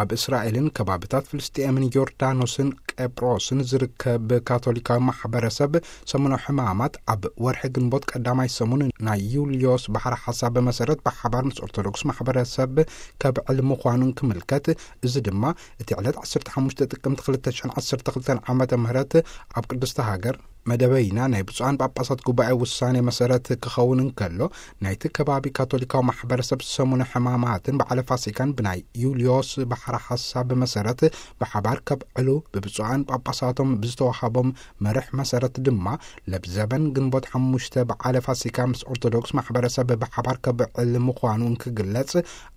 ኣብ እስራኤልን ከባብታት ፍልስጤምን ዮርዳኖስን ቀብሮስን ዝርከብ ካቶሊካዊ ማሕበረሰብ ሰሙነ ሕማማት ኣብ ወርሒ ግንቦት ቀዳማይ ሰሙን ናይ ዩልዮስ ባሕሪ ሓሳብ መሰረት ብሓባር ምስ ኦርቶዶክስ ማሕበረሰብ ከብዕል ምዃኑን ክምልከት፣ እዚ ድማ እቲ ዕለት ዓሰርተ ሓሙሽተ ጥቅምቲ ክልተ ሽሕን ዓሰርተ ክልተን ዓመተ ምህረት ኣብ ቅድስቲ ሃገር መደበይና ናይ ብፁዓን ጳጳሳት ጉባኤ ውሳኔ መሰረት ክኸውን እንከሎ፣ ናይቲ ከባቢ ካቶሊካዊ ማሕበረሰብ ሰሙነ ሕማማትን በዓለ ፋሲካን ብናይ ዩልዮስ ባሕሪ ሓሳብ መሰረት ብሓባር ከብዕሉ ብብፁዓን ጳጳሳቶም ብዝተዋሃቦም መርሕ መሰረት ድማ፣ ለብዘበን ግንቦት ሓሙሽተ በዓለ ፋሲካ ምስ ኦርቶዶክስ ማሕበረሰብ ብሓባር ከብዕል ምዃኑ እንክግለጽ፣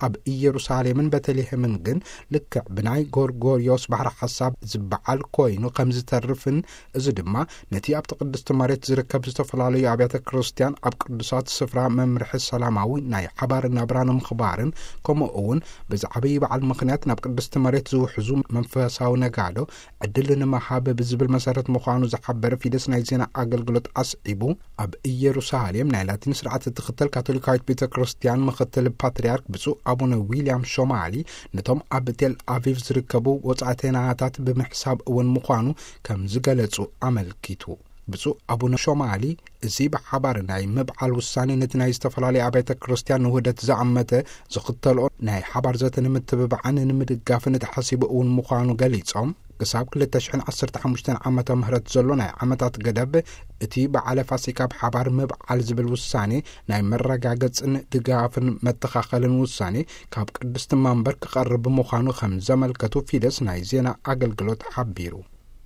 ኣብ ኢየሩሳሌምን ቤተልሔምን ግን ልክዕ ብናይ ጎርጎርዮስ ባሕሪ ሓሳብ ዝበዓል ኮይኑ ከም ዝተርፍን፣ እዚ ድማ ነቲ ኣብቲ ቅድስቲ መሬት ዝርከብ ዝተፈላለዩ ኣብያተ ክርስቲያን ኣብ ቅዱሳት ስፍራ መምርሒ ሰላማዊ ናይ ሓባር ናብራ ንምኽባርን፣ ከምኡ እውን በዚ ዓብዪ በዓል ምኽንያት ናብ ቅድስቲ መሬት ዝውሕዙ መንፈሳዊ ነጋዶ ዕድል ንምሃብ ብዝብል መሰረት ምዃኑ ዝሓበረ ፊደስ ናይ ዜና ኣገልግሎት ኣስዒቡ፣ ኣብ ኢየሩሳሌም ናይ ላቲን ስርዓት እትኽተል ካቶሊካዊት ቤተ ክርስቲያን ምኽትል ፓትርያርክ ብፁዕ ኣቡነ ዊልያም ሾማሊ፣ ነቶም ኣብ ቴል ኣቪቭ ዝርከቡ ወጻእተናታት ብምሕሳብ እውን ምዃኑ ከም ዝገለጹ ኣመልኪቱ። ብፁዕ ኣቡነ ሾማሊ፣ እዚ ብሓባር ናይ ምብዓል ውሳኔ ነቲ ናይ ዝተፈላለዩ ኣብያተ ክርስቲያን ንውህደት ዝኣመተ ዝኽተልኦ ናይ ሓባር ዘተ ንምትብባዕን ንምድጋፍን ተሓሲቡ እውን ምዃኑ ገሊጾም፣ ክሳብ ክልተ ሽሕን ዓሰርተ ሓሙሽተን ዓመተ ምህረት ዘሎ ናይ ዓመታት ገደብ እቲ በዓለ ፋሲካ ብሓባር ምብዓል ዝብል ውሳኔ ናይ መረጋገጽን ድጋፍን መተኻኸልን ውሳኔ ካብ ቅድስቲ መንበር ክቐርብ ምዃኑ ከም ዘመልከቱ ፊደስ ናይ ዜና ኣገልግሎት ሓቢሩ።